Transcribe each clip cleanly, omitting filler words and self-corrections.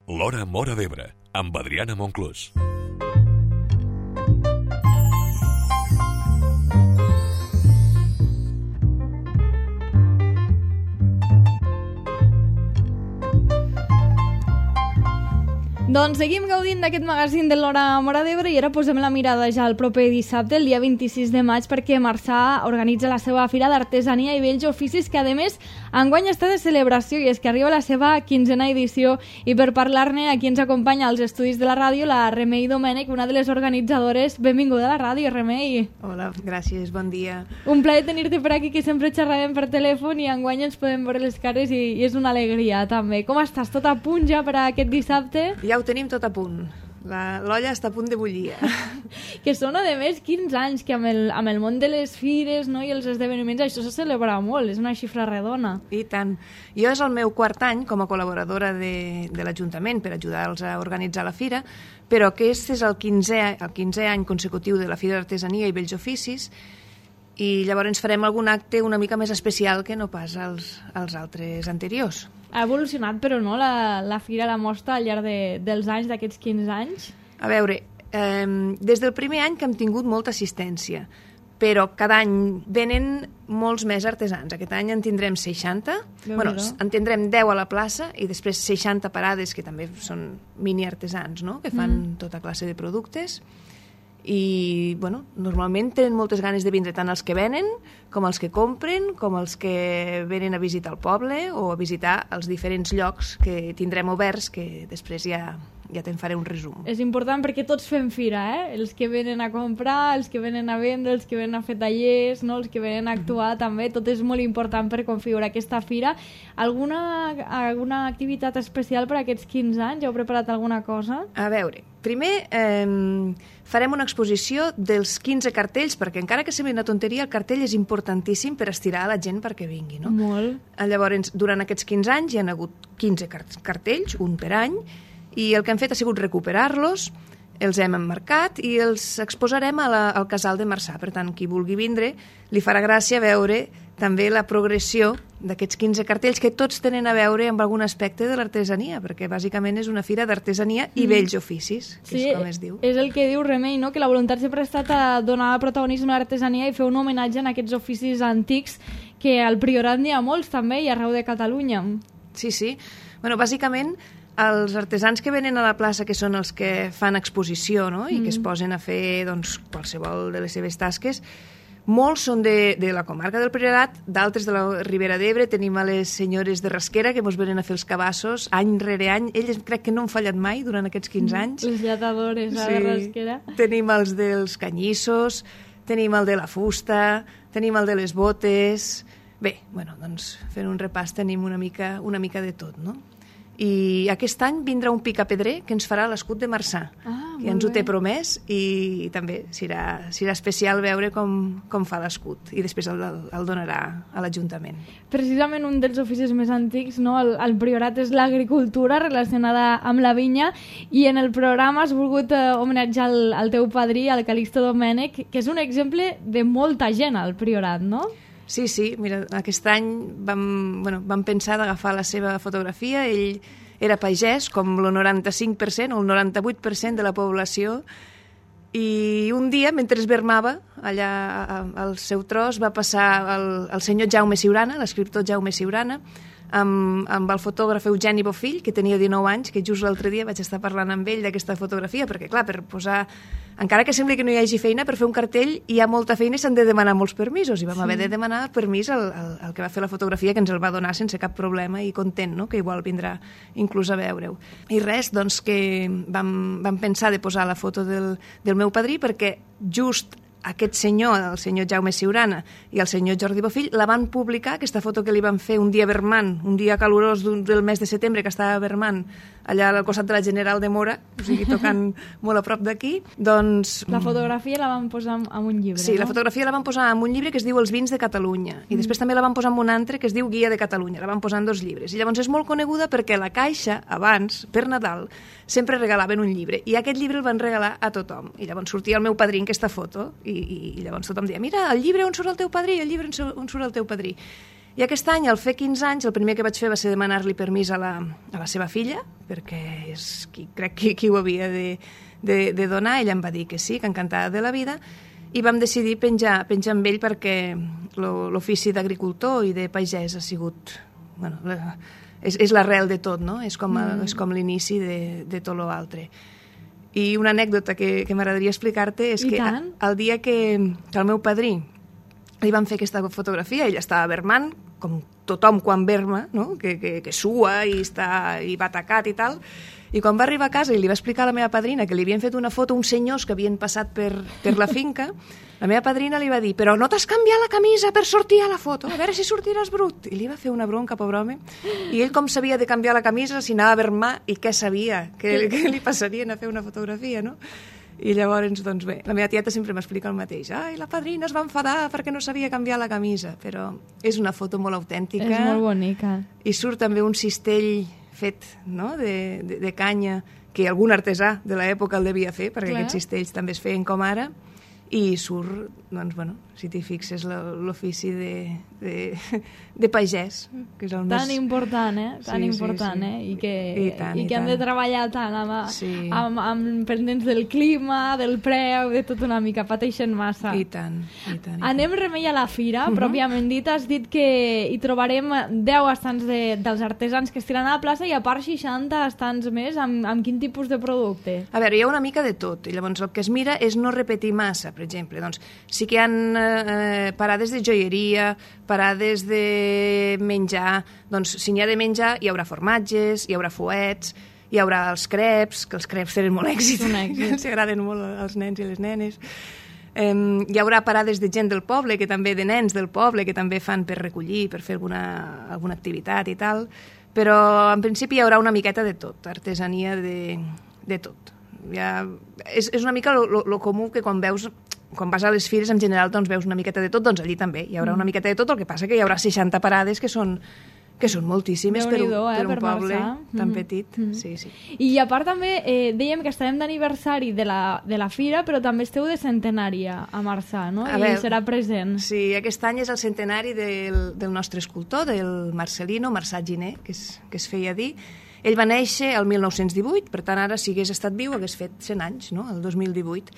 L'Hora Móra d'Ebre, amb Adriana Monclús. Doncs seguim gaudint d'aquest magazín de l'Hora Móra d'Ebre i ara posem la mirada ja al proper dissabte, el dia 26 de maig, perquè Marçà organitza la seva Fira d'Artesania i Bells Oficis, que a més enguany està de celebració i és que arriba la seva 15a edició, i per parlar-ne aquí ens acompanya als estudis de la ràdio la Remei Domènech, una de les organitzadores. Benvinguda a la ràdio, Remei. Hola, gràcies, bon dia. Un plaer tenir-te per aquí, que sempre xerràvem per telèfon i enguany ens podem veure les cares i és una alegria també. Com estàs? Tot a punt ja per a aquest dissabte? Ja ho tenim tot a punt. L'olla està a punt de bullir. Que són, a més, 15 anys, que amb el món de les fires, no, i els esdeveniments això se celebra molt, és una xifra redona. I tant. Jo és el meu quart any com a col·laboradora de l'Ajuntament per ajudar-los a organitzar la fira, però aquest és el 15è any consecutiu de la Fira d'Artesania i Bells Oficis, i llavors farem algun acte una mica més especial que no pas els altres anteriors. Ha evolucionat, però, no, la fira, la mostra al llarg dels anys, d'aquests 15 anys? A veure, des del primer any que hem tingut molta assistència, però cada any venen molts més artesans. Aquest any en tindrem 60, en tindrem 10 a la plaça i després 60 parades, que també són mini artesans, no?, que fan tota classe de productes. I normalment tenen moltes ganes de vindre, tant els que venen com els que compren, com els que venen a visitar el poble o a visitar els diferents llocs que tindrem oberts, que després ja te'n faré un resum. És important perquè tots fem fira, els que venen a comprar, els que venen a vendre, els que venen a fer tallers, no? Els que venen a actuar també, tot és molt important per configurar aquesta fira. Alguna activitat especial per a aquests 15 anys? Ja heu preparat alguna cosa? A veure, primer farem una exposició dels 15 cartells, perquè encara que sembli una tonteria, el cartell és importantíssim per estirar a la gent perquè vingui, no? Molt. Llavors, durant aquests 15 anys hi ha hagut 15 cartells, un per any, i el que hem fet ha sigut recuperar-los, els hem emmarcat i els exposarem al casal de Marçà. Per tant, qui vulgui vindre li farà gràcia veure també la progressió d'aquests 15 cartells, que tots tenen a veure amb algun aspecte de l'artesania, perquè bàsicament és una fira d'artesania i bells oficis, que és com es diu. És el que diu Remei, no? Que la voluntat sempre ha estat a donar protagonisme a l'artesania i fer un homenatge a aquests oficis antics, que al Priorat n'hi ha molts també i arreu de Catalunya. Sí. Bàsicament, els artesans que venen a la plaça, que són els que fan exposició, no?, i que es posen a fer qualsevol de les seves tasques, molts són de la comarca del Priorat, d'altres de la Ribera d'Ebre. Tenim a les senyores de Rasquera que ens venen a fer els cabassos any rere any. Elles crec que no han fallat mai durant aquests 15 anys. Les lletadores de Rasquera. Tenim els dels canyissos, tenim el de la fusta, tenim el de les botes. Bé, fent un repàs tenim una mica de tot, no? I aquest any vindrà un picapedrer que ens farà l'escut de Marçà, que ens ho té promès, i també serà especial veure com fa l'escut, i després el donarà a l'Ajuntament. Precisament un dels oficis més antics, no, al Priorat, és l'agricultura relacionada amb la vinya, i en el programa has volgut homenatjar el teu padrí, el Calixto Domènech, que és un exemple de molta gent al Priorat, no? Sí, mira, aquest any vam pensar d'agafar la seva fotografia. Ell era pagès, com el 95% o el 98% de la població, i un dia, mentre es vermava allà al seu tros, va passar el senyor Jaume Siurana, l'escriptor Jaume Siurana, amb el fotògraf Eugeni Bofill, que tenia 19 anys, que just l'altre dia vaig estar parlant amb ell d'aquesta fotografia, perquè, clar, per posar... Encara que sembli que no hi hagi feina, per fer un cartell hi ha molta feina i s'han de demanar molts permisos, i vam haver de demanar permís al que va fer la fotografia, que ens el va donar sense cap problema, i content, no?, que igual vindrà inclús a veure-ho. I res, que vam pensar de posar la foto del meu padrí, perquè just aquest senyor, el senyor Jaume Siurana i el senyor Jordi Bofill, la van publicar, aquesta foto que li van fer un dia vermant, un dia calorós del mes de setembre, que estava vermant allà al costat de la General de Mora, o sigui, tocant molt a prop d'aquí. La fotografia la van posar en un llibre, sí, no? La fotografia la van posar en un llibre que es diu Els vins de Catalunya, i després també la van posar en un altre que es diu Guia de Catalunya, la van posar en 2 llibres. I llavors és molt coneguda perquè la Caixa, abans, per Nadal, sempre regalaven un llibre, i aquest llibre el van regalar a tothom. I llavors sortia el meu padrí en aquesta foto, i llavors tothom deia, mira, el llibre on surt el teu padrí, el llibre on surt el teu padrí. I aquest any, al fer 15 anys, el primer que vaig fer va ser demanar-li permís a la seva filla, perquè crec que qui ho havia de donar. Ella em va dir que sí, que encantada de la vida, i vam decidir penjar amb ell perquè l'ofici d'agricultor i de pagès ha sigut... Bueno, és l'arrel de tot, no? És com l'inici de tot l'altre. I una anècdota que m'agradaria explicar-te és que el dia que el meu padrí li van fer aquesta fotografia, ell estava bermant, com tothom quan berma, no? que sua i va tacat i tal, i quan va arribar a casa i li va explicar a la meva padrina que li havien fet una foto uns senyors que havien passat per la finca, la meva padrina li va dir: però no t'has canviat la camisa per sortir a la foto? A veure si sortiràs brut. I li va fer una bronca, pobre home. I ell com sabia de canviar la camisa si anava a bermar i què sabia? Que li passarien a fer una fotografia, no? I llavors, doncs bé, la meva tieta sempre m'explica el mateix. Ai, la padrina es va enfadar perquè no sabia canviar la camisa. Però és una foto molt autèntica. És molt bonica. I surt també un cistell fet, no?, de canya, que algun artesà de l'època el devia fer, perquè aquests cistells també es feien com ara, i surt, doncs, bueno, si t'hi fixes, l'ofici de pagès, que és el més... Tan important, Tan important, I que han de treballar tant amb pendents del clima, del preu, de tot una mica, pateixen massa. I tant. Anem, Remei, a la fira, pròpiament dit. Has dit que hi trobarem 10 estants dels artesans que estiran a la plaça i a part 60 estants més. Amb quin tipus de producte? A veure, hi ha una mica de tot, i llavors el que es mira és no repetir massa. Per exemple, doncs, sí que hi ha parades de joieria, parades de menjar. Doncs, si n'hi ha de menjar, hi haurà formatges, hi haurà fuets, hi haurà els creps, que els creps tenen molt èxit, que els agraden molt als nens i les nenes. Hi haurà parades de gent del poble, de nens del poble, que també fan per recollir, per fer alguna activitat i tal, però en principi hi haurà una miqueta de tot, artesania de tot. És una mica lo comú que quan vas a les fires en general doncs veus una miqueta de tot, doncs allí també hi haurà una miqueta de tot, el que passa que hi haurà 60 parades que són moltíssimes per un poble tan petit. Sí. I a part també dèiem que estarem d'aniversari de la fira, però també esteu de centenari a Marçà, no? I serà present. Sí, aquest any és el centenari del nostre escultor, del Marcelino, Marçà Giner, que es feia dir. Ell va néixer el 1918, per tant, ara, si hagués estat viu, hagués fet 100 anys, no?, el 2018.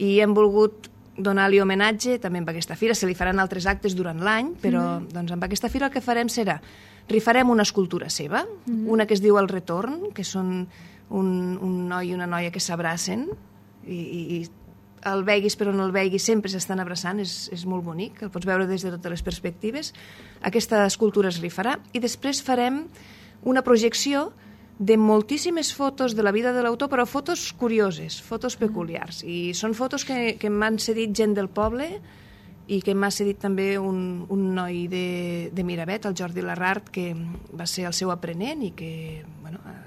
I hem volgut donar-li homenatge també amb aquesta fira. Se li faran altres actes durant l'any, però doncs, amb aquesta fira el que farem serà rifarem una escultura seva, una que es diu El Retorn, que són un noi i una noia que s'abracen, i el veguis però no el veguis, sempre s'estan abraçant, és molt bonic, el pots veure des de totes les perspectives. Aquesta escultura es rifarà, i després farem una projecció de moltíssimes fotos de la vida de l'autor, però fotos curioses, fotos peculiars. I són fotos que m'han cedit gent del poble i que m'ha cedit també un noi de Miravet, el Jordi Larrart, que va ser el seu aprenent i que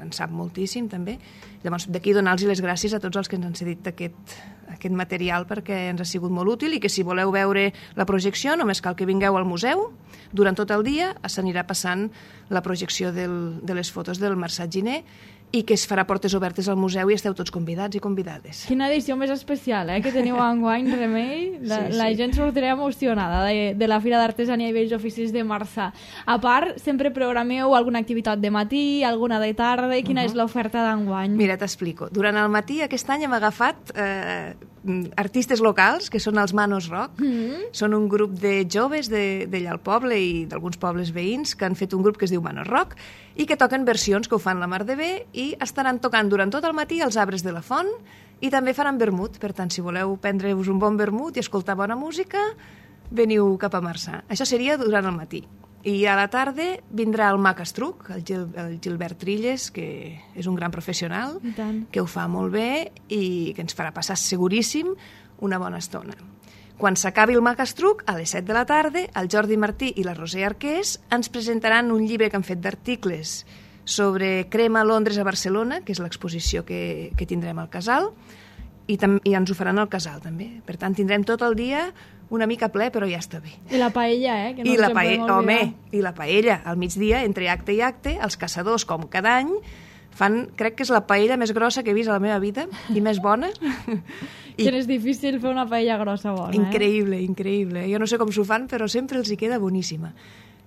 en sap moltíssim també. Llavors, d'aquí donar-los les gràcies a tots els que ens han cedit aquest material, perquè ens ha sigut molt útil, i que si voleu veure la projecció només cal que vingueu al museu. Durant tot el dia s'anirà passant la projecció de les fotos del Marçà Giner, i que es farà portes obertes al museu i esteu tots convidats i convidades. Quina edició més especial, que teniu enguany, Remei. La gent sortirà emocionada de la Fira d'Artesania i Bells Oficis de Marçà. A part, sempre programeu alguna activitat de matí, alguna de tarda. Quina és l'oferta d'enguany? Mira, t'explico. Durant el matí aquest any hem agafat artistes locals, que són els Manos Rock. Són un grup de joves d'allà al poble i d'alguns pobles veïns que han fet un grup que es diu Manos Rock i que toquen versions que ho fan la mar de bé, i estaran tocant durant tot el matí els arbres de la font, i també faran vermut. Per tant, si voleu prendre-vos un bon vermut i escoltar bona música, veniu cap a Marçà. Això seria durant el matí. I a la tarda vindrà el Mac Estruc, el Gilbert Trilles, que és un gran professional, que ho fa molt bé i que ens farà passar seguríssim una bona estona. Quan s'acabi el Mac Estruc, a les 7 de la tarda, el Jordi Martí i la Roser Arqués ens presentaran un llibre que han fet d'articles sobre crema a Londres a Barcelona, que és l'exposició que tindrem al casal, i ens ho faran al casal també. Per tant, tindrem tot el dia una mica ple, però ja està bé. I la paella, que no ens en podem oblidar. Home, i la paella, al migdia, entre acte i acte, els caçadors, com cada any, fan, crec que és la paella més grossa que he vist a la meva vida, i més bona. Que és difícil fer una paella grossa bona. Increïble, increïble. Jo no sé com s'ho fan, però sempre els hi queda boníssima.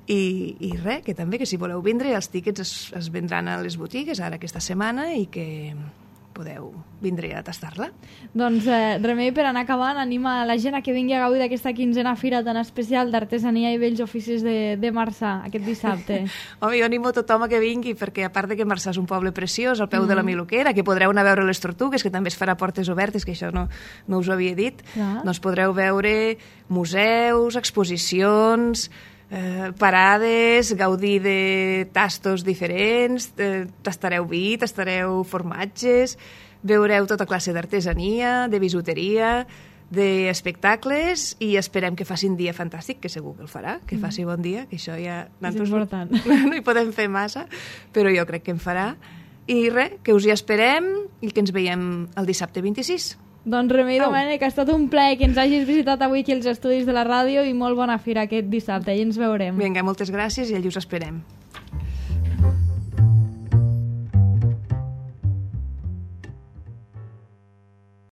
I res, que també, que si voleu vindre, els tíquets es vendran a les botigues ara aquesta setmana i que podeu vindre a tastar-la. Doncs Remei, per anar acabant, anima la gent a que vingui a gaudir d'aquesta quinzena fira tan especial d'artesania i vells oficis de Marçà aquest dissabte. Home, jo animo tothom a que vingui, perquè a part de que Marçà és un poble preciós, al peu de la Miluquera, que podreu anar a veure les tortugues, que també es farà portes obertes, que això no us ho havia dit, doncs podreu veure museus, exposicions, parades, gaudir de tastos diferents, tastareu vi, tastareu formatges, veureu tota classe d'artesania, de bisuteria, d'espectacles, i esperem que faci un dia fantàstic, que segur que el farà, que faci bon dia, que això ja... És important. No hi podem fer massa, però jo crec que en farà. I res, que us hi esperem i que ens veiem el dissabte 26. Doncs Remei Domènech, ha estat un plaer que ens hagis visitat avui aquí als estudis de la ràdio i molt bona fira aquest dissabte, i ens veurem. Vinga, moltes gràcies i allà us esperem.